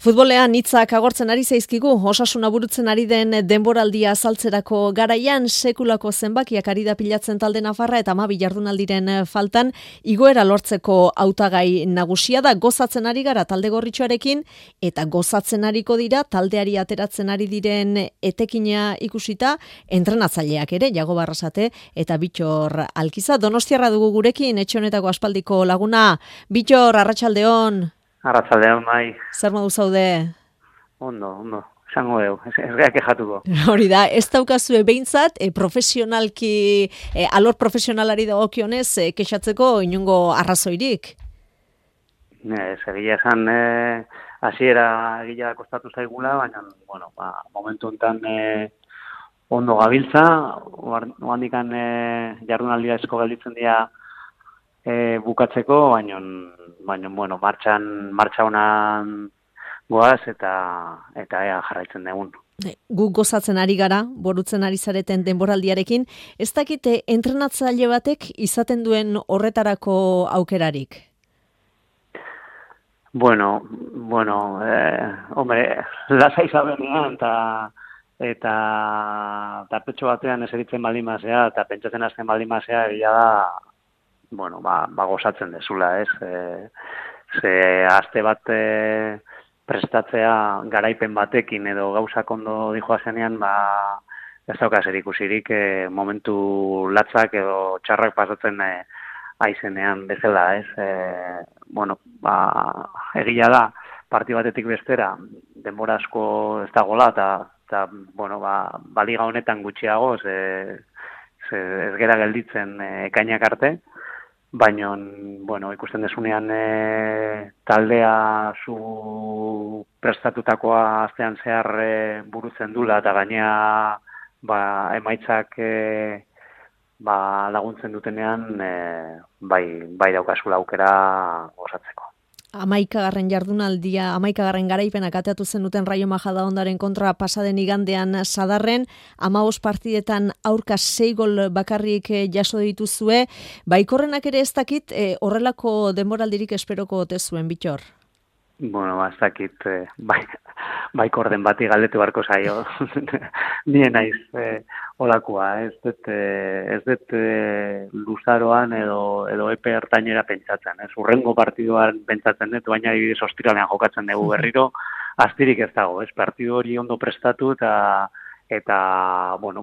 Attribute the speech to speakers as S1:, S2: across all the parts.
S1: Futbolean hitzak agortzen ari zaizkigu, Osasuna burutzen ari den denboraldia azaltzerako garaian sekulako zenbakiak ari da pilatzen talde nafarra eta 12 jardunaldiren faltan igoera lortzeko hautagai nagusia da. Gozatzen ari gara talde gorritxoarekin eta gozatzen ariko dira taldeari ateratzen ari diren etekina ikusita entrenatzaileak ere, Jago Barrasate eta Bittor Alkiza. Donostiarra dugu gurekin, etxe honetako aspaldiko laguna. Bittor, arratsaldeon.
S2: Arratsaldeon, bai.
S1: Zer modu zaude?
S2: Ondo, esango dugu, ez gara kexatuko.
S1: Hori da, ez daukazue behintzat, profesionalki, alor profesionalari dagokionez kexatzeko inongo arrazoirik?
S2: Egia esan, hasiera egia kostatu zaigula, baina, bueno, momentu enten ondo gabiltza, oandikan jardunaldia esko gelditzen dira bukatzeko, baina, bueno, martxa honan goaz eta ea jarraitzen dugun.
S1: Gu gozatzen ari gara, borutzen ari zareten denboraldiarekin, ez dakite entrenatzaile batek izaten duen horretarako aukerarik?
S2: Bueno, hombre, lasai zabenean eta petxo batean eseritzen baldin mazea eta pentsatzen hasten baldin mazea egia da, bueno, gozatzen dezula, ez? Ze aste bat prestatzea garaipen batekin edo gauzak ondo dijoazenean, ez dauka zer ikusirik momentu latzak edo txarrak pasatzen aizenean bezala, ez? Bueno, egia da, parti batetik bestera, denbora asko ez dagoela, eta bueno, liga honetan gutxiago, ez gera gelditzen ekainak arte, baina, bueno, ikusten desunean taldea zu prestatutakoa astean zehar burutzen dula, eta gainea emaitzak laguntzen dutenean, bai daukazula aukera gozatzeko.
S1: 11. jardunaldia, 11. garaipenak ateatu zenuten Raio Majadahondaren kontra pasaden igandean Sadarren, 15 partidetan aurka 6 gol bakarrik jaso dituzue. Baikorrenak ere ez dakit horrelako denboraldirik esperoko ote zuen, Bittor?
S2: Bueno, ez dakit, baikorden bati galdetu barko zaio. Nien naiz olakoa, ez dut luzaroan edo epe ertainera pentsatzen. Urrengo partiduan pentsatzen dut, baina adibidez ostiralean jokatzen dugu berriro, astirik ez dago, partidu hori ondo prestatu eta bueno,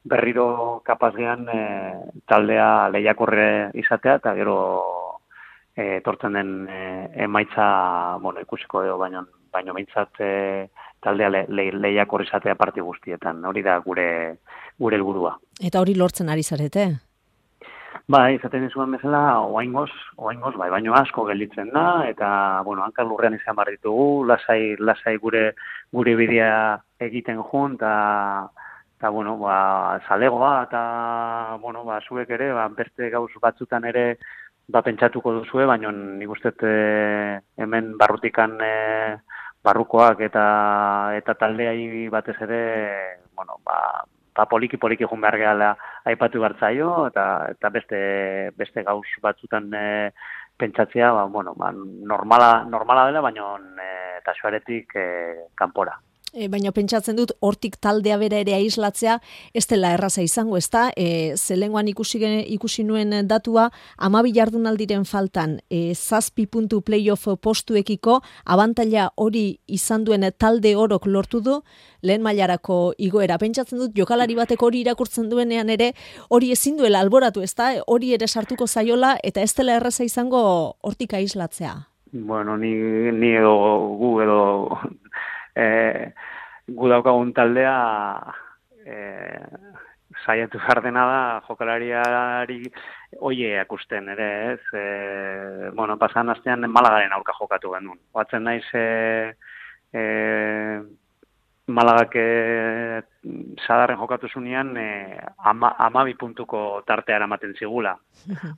S2: berriro kapazgean taldea lehiakorre izatea eta gero etortzen den emaitza, bueno, ikusiko dugu, baina behintzat taldea lehiakor izatea parti guztietan. Hori da gure helburua.
S1: Eta hori lortzen ari zarete?
S2: Izaten dizuen bezala, oaingoz, baino asko gelditzen da, eta, bueno, hankar lurrean izan behar ditugu, lasai gure bidea egiten jun, eta, bueno, zalegoa, eta, bueno, zuek ere, beste gauz batzutan ere, pentsatuko duzue, baina nik uste hemen barrutikan barrukoak eta taldeai batez ere, bueno, poliki jun behar gehala aipatu bertzaio, eta beste gauz batzutan pentsatzea, bueno, normala dela, baina eta xoaretik kanpora.
S1: Baina pentsatzen dut, hortik taldea bera ere aislatzea, ez dela erraza izango, ez da? Zelengoan ikusi nuen datua, 12 jardunaldiren faltan, 7 puntu playoff postuekiko, abantaila hori izan duen talde orok lortu du, lehen mailarako igoera. Pentsatzen dut, jokalari batek hori irakurtzen duenean ere, hori ezin duela alboratu, ez da? Hori ere sartuko zaiola, eta ez dela erraza izango hortik aislatzea.
S2: Bueno, ni edo gu edo gu daukagun taldea saiatu behar dena da jokalariari oie akusten ere, ez? Bueno, pasan astean Malagaren aurka jokatu genuen. Oatzen naiz Malagak Sadarren jokatu zunean 12 puntuko tartea eramaten zigula.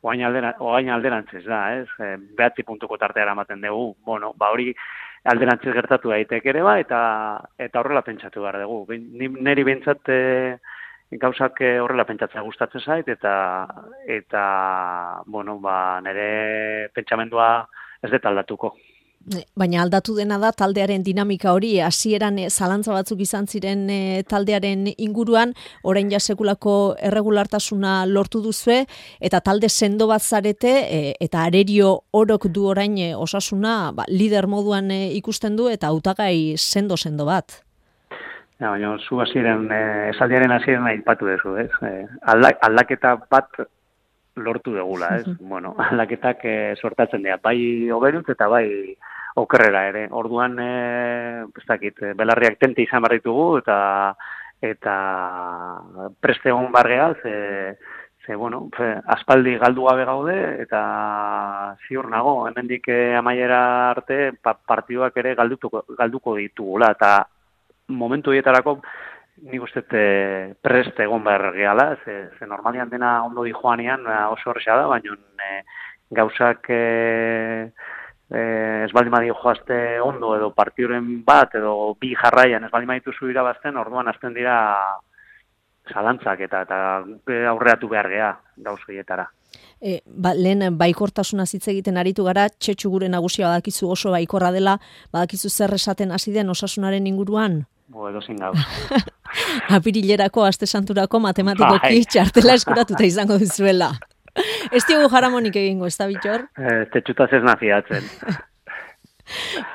S2: Oain alderantziz da, ez? 9 puntuko tartea eramaten dugu. Bueno, hori alderantziz gertatu daiteke ere eta horrela pentsatu behar dugu. Neri behintzat gauzak horrela pentsatzea gustatzen zait eta bueno, nire pentsamendua ez dut aldatuko.
S1: Baina aldatu dena da taldearen dinamika hori, hasieran zalantza batzuk izan ziren taldearen inguruan, orain ja sekulako erregulartasuna lortu duzue, eta talde sendo bat zarete, eta Arerio Orok du orain Osasuna lider moduan ikusten du, eta hautagai sendo bat.
S2: Ja, baina zu hasieran, esaldiaren hasieran aipatu duzu, ez? Aldaketa bat lortu degula, ez? Bueno, aldaketak sortatzen dira, bai hoberuntz eta bai okerrera ere. Orduan, ez dakit, belarriak tente izan behar ditugu eta preste egon bargea, bueno, aspaldi galdu gabe gaude eta ziur nago, hemendik amaiera arte partiduak ere galduko ditugula, eta momentu horietarako nik uste prest egon behar gehala, ze normalian dena ondo di joanean oso horreza da, baina gauzak ez baldin badi joazte ondo edo partiduren bat edo bi jarraian ez baldin badituzu irabazten, orduan hasten dira zalantzak eta aurreatu behar geha gauz horietara.
S1: Lehen baikortasuna hitz egiten aritu gara, Txetxu gure nagusia badakizu oso baikorra dela, badakizu zer esaten hasi den Osasunaren inguruan?
S2: Edozin gauz.
S1: Apirilerako, aste santurako matematikoki txartela eskuratuta izango duzuela. Ez diogu jaramonik egingo, ez da Bittor?
S2: Txetxutaz ez nafiatzen.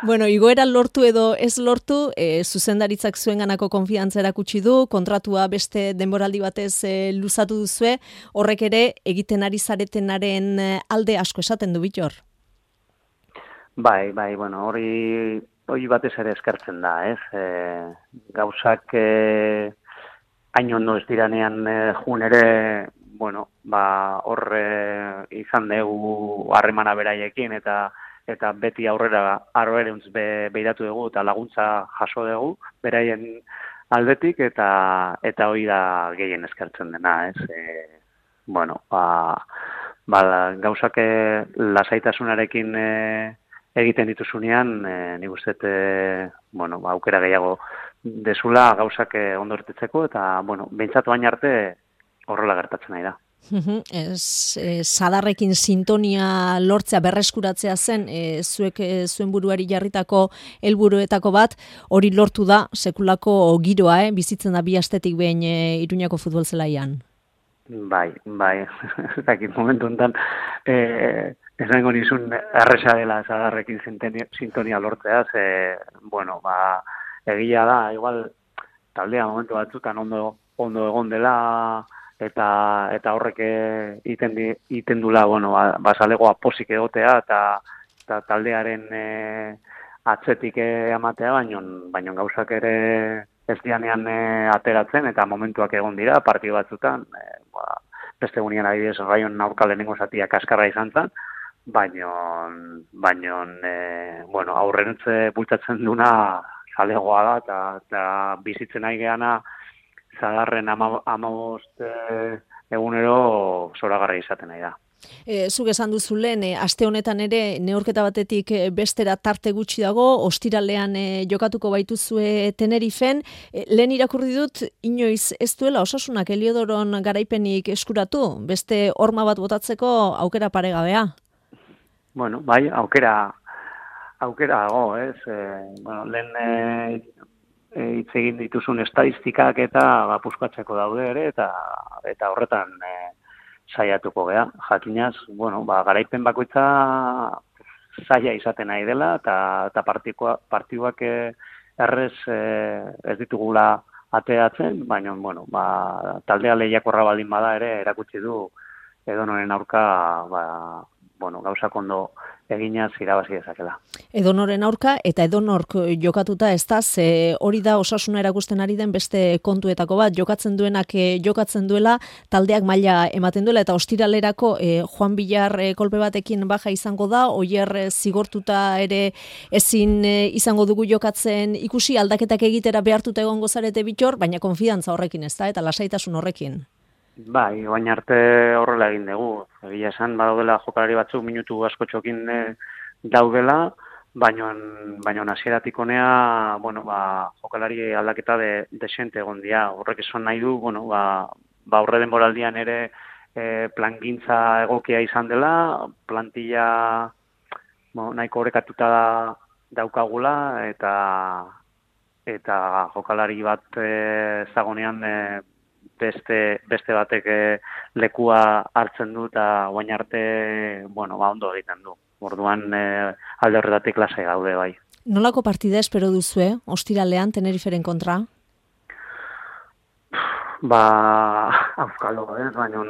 S1: Bueno, igoera lortu edo ez lortu, zuzendaritzak zuenganako konfiantza erakutsi du, kontratua beste denboraldi batez luzatu duzue, horrek ere egiten ari zaretenaren alde asko esaten du Bittor?
S2: Bai, bueno, hori batez ere eskertzen da, ez? Gauzak hain ondo ez diranean jun ere, bueno, hor izan dugu harremana beraiekin eta beti aurrerantz behiratu dugu eta laguntza jaso dugu beraien aldetik eta hori da gehien eskertzen dena, ez? Bueno, gauzak lasaitasunarekin egiten dituzunean, nik uste, bueno, aukera gehiago dezula gauzak ondo ertetzeko eta, bueno, behintzatu baina arte horrela gertatzen nahi da.
S1: Sadarrekin sintonia lortzea berreskuratzea zen, zuen buruari jarritako helburuetako bat, hori lortu da sekulako giroa, bizitzen da bi astetik behin Iruñako futbol zelaian.
S2: Bai, ez dakit momentu enten, esango nizun erresa dela Sadarrekin sintonia lortzea, bueno, egia da, igual taldea momentu batzutan ondo egon dela, eta horrek iten dula, bueno, basalegoa posik egotea, eta taldearen atzetik amatea, baino gauzak ere ez dianean ateratzen, eta momentuak egon dira, partidu batzutan, beste gunean adibidez, Raion aurka lehenengo zatia kaskarra izan zen, baino, bueno, aurrerantz bultatzen duna zalegoa da, eta bizitzen nahi geana, Zadarren 15 egunero zoragarri izaten nahi da.
S1: Zuk esan duzu lehen, aste honetan ere neurketa batetik bestera tarte gutxi dago, ostiralean jokatuko baituzue Tenerifen. Lehen irakurri dut, inoiz ez duela Osasunak Heliodoron garaipenik eskuratu, beste horma bat botatzeko aukera paregabea?
S2: Bueno, bai, aukera dago, ez? Bueno, lehen hitz egin dituzun estadistikak eta puskatzeko daude ere, eta horretan saiatuko gea. Jakinaz, bueno, garaipen bakoitza zaila izaten nahi dela, eta partiduak errez ez ditugula ateatzen, baina, bueno, taldea lehiakorra baldin bada ere erakutsi du edonoren aurka, bueno, gauzak ondo eginaz irabazi dezakela.
S1: Edonoren aurka eta edonork jokatuta ez da, ze hori da Osasuna erakusten ari den beste kontuetako bat, jokatzen duenak jokatzen duela, taldeak maila ematen duela, eta ostiralerako Juan Villar kolpe batekin baja izango da, Oier zigortuta ere ezin izango dugu jokatzen ikusi, aldaketak egitera behartuta egongo zarete Bittor, baina konfidantza horrekin ez da, eta lasaitasun horrekin.
S2: Bai, baina arte horrela egin dugu. Egia esan, badaudela jokalari batzuk minutu askotxokin daudela, baina hasieratik honea, bueno, jokalari aldaketa desente egon dira. Horrek esan nahi du, bueno, aurre denboraldian ere plangintza egokia izan dela, plantilla nahiko orekatuta daukagula, eta jokalari bat zagonean beste batek lekua hartzen du, eta guain arte, ondo egiten du. Orduan alde horretatik lasai gaude bai.
S1: Nolako partida espero duzue, ostiralean Teneriferen kontra?
S2: Auskalo, baina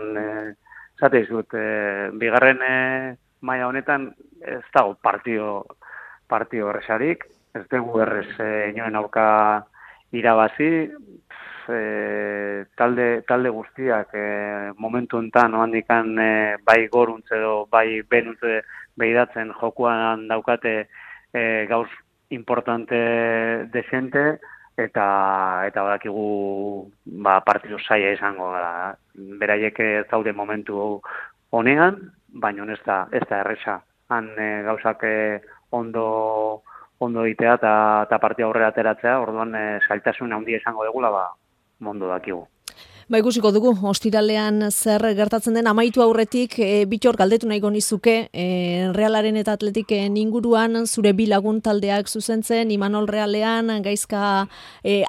S2: zate izut, bigarren maila honetan ez dago partio erresarik, ez dugu errez inoen aurka irabazi, talde guztiak momentu enten oandikan bai goruntze edo bai benuntze behidatzen jokuan daukate gauz importante desente, eta badakigu partidu zaila izango da. Beraiek ez daude momentu honean, baina ez da erresa. Han gauzak ondo egitea eta partia aurrera ateratzea, orduan zailtasun handia izango degula, mondo dakigu.
S1: Ikusiko dugu, ostiralean zer gertatzen den amaitu aurretik, Bittor galdetu nahiko nizuke, Realaren eta Atletiken inguruan, zure bi lagun taldeak zuzentzen, Imanol Realean, Gaizka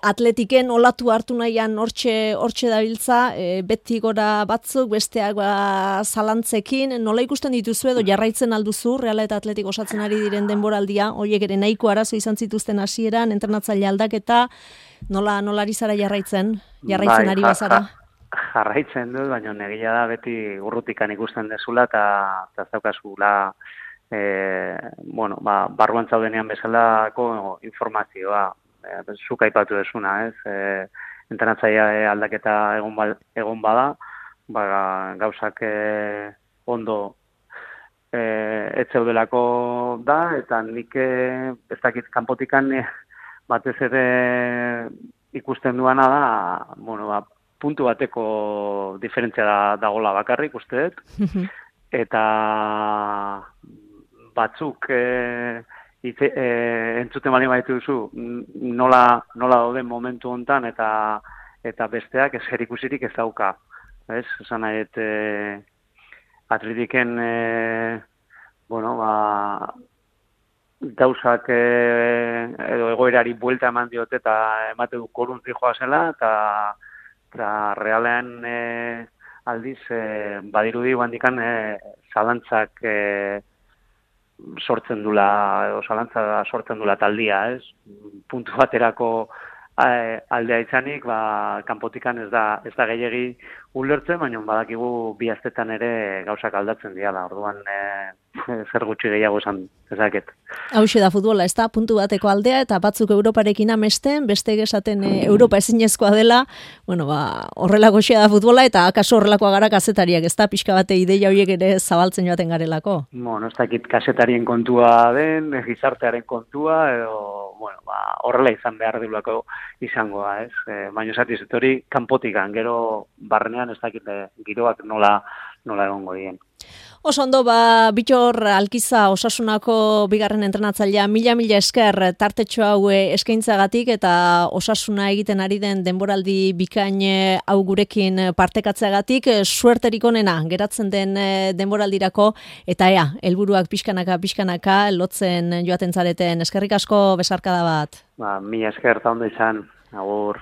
S1: Atletiken olatu hartu nahian hortxe dabiltza, beti gora batzuk, besteak zalantzekin, nola ikusten dituzu edo jarraitzen alduzu, Reala eta Atletik osatzen ari diren denboraldia, horiek ere nahiko arazo izan zituzten hasieran, entrenatzaile aldaketa, nola ari zara jarraitzen ari bazara?
S2: Jarraitzen dut, baina negia da beti urrutikan ikusten dezula eta ez daukazula barruan zaudenean bezalako informazioa. Zuk aipatu desuna, ez? Entrenatzaile aldaketa egon bada, gauzak ondo ez zeudelako da, eta nik ez dakit kanpotikan batez ere ikusten duana da, puntu bateko diferentzia dagoela bakarrik, uste dut, eta batzuk entzuten bali baitu duzu, nola dauden momentu hontan, eta besteak ez ikusirik ez dauka. Esan nahi, Atletiken, gauzak edo egoerari buelta eman diote eta emate du koruntzi joa zela, eta Realean aldiz badirudi handikan zalantzak sortzen dula taldia, ez? Puntu baterako aldea izanik, kanpotikan ez da gehiegi ulertzen, baina badakigu bi astetan ere gauzak aldatzen dira, orduan zer gutxi gehiago esan dezaket.
S1: Hauxe da futbola, ez da, puntu bateko aldea, eta batzuk Europarekin amesten, beste esaten Europa ezinezkoa dela, horrelako xea da futbola, eta akaso horrelakoa gara kazetariak, ez da, pixka bate ideia horiek ere zabaltzen joaten garelako.
S2: Ez dakit kasetarien kontua den, gizartearen kontua, edo, horrela izan behar dilako izangoa, ez? Baina esatiz, hori kanpotikan, gero barnean ez dakit giroak nola egongo dien.
S1: Oso ondo, Bittor Alkiza Osasunako bigarren entrenatzailea, mila esker tartetxo hau eskaintzagatik eta Osasuna egiten ari den denboraldi bikain hau gurekin partekatzeagatik, suerterik onena geratzen den denboraldirako, eta helburuak pixkanaka lotzen joaten zareten. Eskerrik asko, besarkada bat.
S2: Mila esker, eta ondo izan, agur.